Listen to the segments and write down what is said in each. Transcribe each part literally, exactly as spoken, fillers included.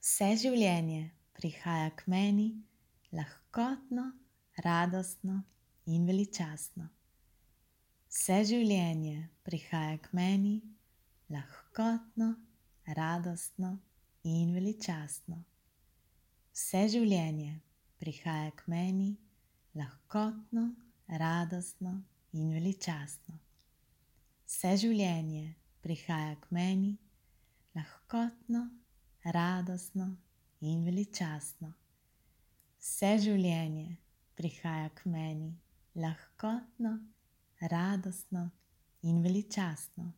Vse življenje prihaja k meni lahkotno, radostno in veličastno. Vse življenje prihaja k meni lahkotno, radostno in veličastno. Vse življenje prihaja k meni lahkotno, radostno in veličastno. Vse življenje prihaja k meni lahkotno, radostno in veličastno. Vse življenje prihaja k meni lahkotno, radostno in veličastno.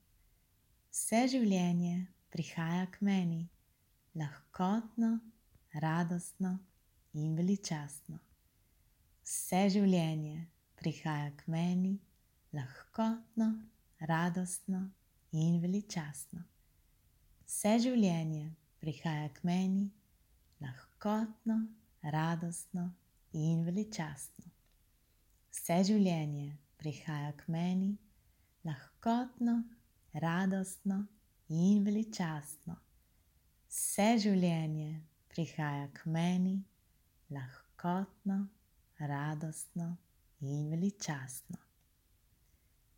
Vse življenje prihaja k meni lahkotno, radostno in veličastno. Vse življenje prihaja k meni lahkotno, radostno in veličastno. Vse življenje prihaja k meni lahkotno, radostno in veličastno. Vse življenje prihaja k meni lahkotno, radostno in veličastno. Vse življenje prihaja k meni lahkotno, radostno in veličastno.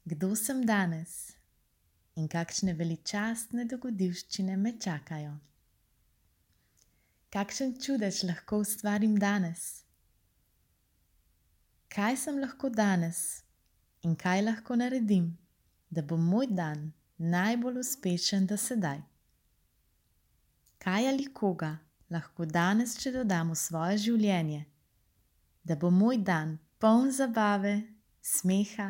Kdo sem danes in kakšne veličastne dogodivščine me čakajo? Kakšen čudež lahko ustvarim danes? Kaj sem lahko danes in kaj lahko naredim, da bo moj dan najbolj uspešen do sedaj? Kaj ali koga lahko danes še dodam v svoje življenje, da bo moj dan poln zabave, smeha,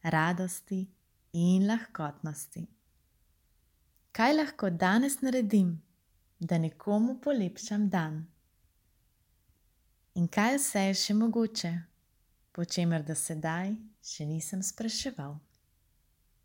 radosti in lahkotnosti? Kaj lahko danes naredim, da nekomu polepšam dan? In kaj vse je še mogoče, po čemer do sedaj še nisem spraševal?